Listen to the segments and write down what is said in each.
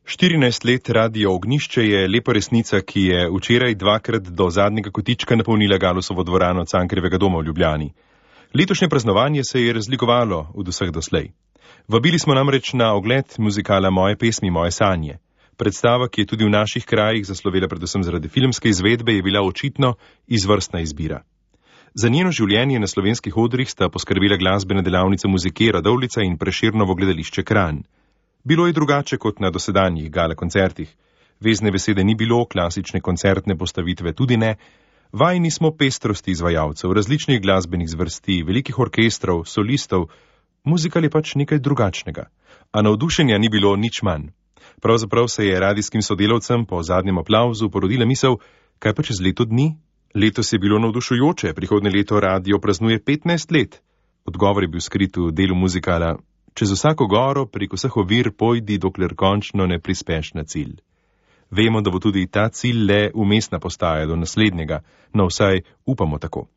14 let Radio Ognjišče je lepa resnica, ki je včeraj dvakrat do zadnjega kotička napolnila Galusovo dvorano Cankarjevega doma v Ljubljani. Letošnje praznovanje se je razlikovalo od vseh doslej. Vabili smo namreč na ogled muzikala Moje pesmi, moje sanje. Predstava, ki je tudi v naših krajih zaslovela predvsem zaradi filmske izvedbe, je bila očitno izvrstna izbira. Za njeno življenje na slovenskih odrih sta poskrbela glasbena delavnica Muzike Radovljica in Prešernovo gledališče Kranj. Bilo je drugače kot na dosedanjih gala koncertih. Vezne besede ni bilo, klasične koncertne postavitve tudi ne. Vajeni smo pestrosti izvajalcev, različnih glasbenih zvrsti, velikih orkestrov, solistov. Muzikal je pač nekaj drugačnega. A navdušenja ni bilo nič manj. Pravzaprav se je radijskim sodelavcem po zadnjem aplavzu porodila misel, kaj pa čez leto dni? Letos je bilo navdušujoče, prihodnje leto radio praznuje 15 let. Odgovor je bil skrit v delu muzikala: čez vsako goro, prek vseh ovir pojdi, dokler končno ne prispeš na cilj. Vemo, da bo tudi ta cilj le umestna postaja do naslednjega, no vsaj upamo tako.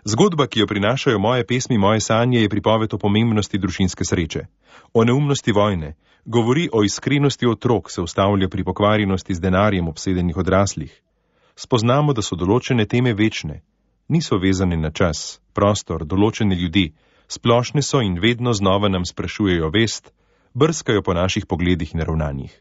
Zgodba, ki jo prinašajo Moje pesmi, moje sanje, je pripoved o pomembnosti družinske sreče, o neumnosti vojne, govori o iskrenosti otrok, se ustavlja pri pokvarjenosti z denarjem obsedenih odraslih. Spoznamo, da so določene teme večne, niso vezane na čas, prostor, določene ljudi, splošne so in vedno znova nam sprašujejo vest, brskajo po naših pogledih in ravnanjih.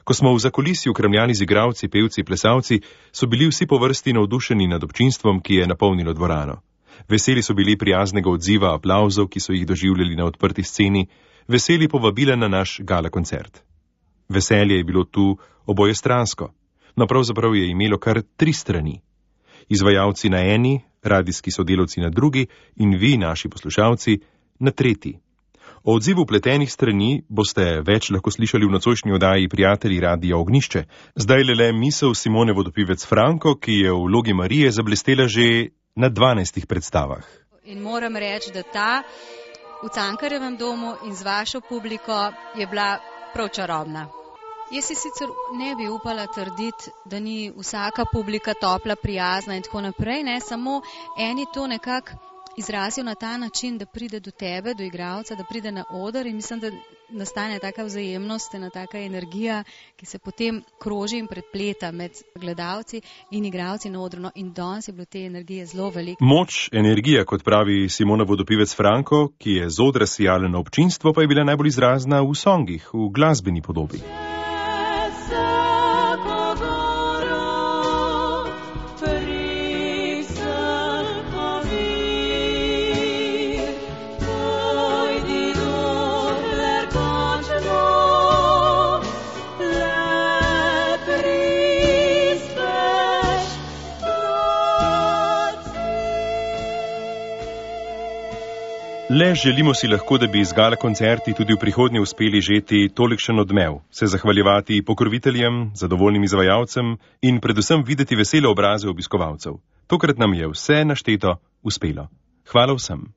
Ko smo v zakulisju kremljali z igralci, pevci, plesalci, so bili vsi po vrsti navdušeni nad občinstvom, ki je napolnilo dvorano. Veseli so bili prijaznega odziva, aplavzov, ki so jih doživljali na odprti sceni, veseli povabila na naš gala koncert. Veselje je bilo tu obojestransko, no pravzaprav je imelo kar 3 strani. Izvajalci na eni, radijski sodelavci na drugi in vi, naši poslušalci, na tretji. O odzivu pletenih strani boste več lahko slišali v nocojšnji oddaji Prijatelji Radia Ognjišče. Zdaj le misel Simone Vodopivec Franko, ki je v vlogi Marije zablestela že na 12 predstavah. In moram reči, da ta v Cankarjevem domu in z vašo publiko je bila prav čarobna. Jaz si sicer ne bi upala trditi, da ni vsaka publika topla, prijazna in tako naprej, ne, samo eni to nekako izrazijo na ta način, da pride do tebe, do igralca, da pride na oder in mislim, da nastane taka vzajemnost, ena taka energija, ki se potem kroži in prepleta med gledalci in igralci na odru. No, in danes je bilo te energije zelo veliko. Moč, energija, kot pravi Simona Vodopivec Franko, ki je z odra sijala na občinstvo, pa je bila najbolj izrazna v songih, v glasbeni podobi. Le želimo si lahko, da bi iz gala koncerti tudi v prihodnje uspeli žeti tolikšen odmev, se zahvaljevati pokroviteljem, zadovoljnim izvajalcem in predvsem videti vesele obraze obiskovalcev. Tokrat nam je vse našteto uspelo. Hvala vsem.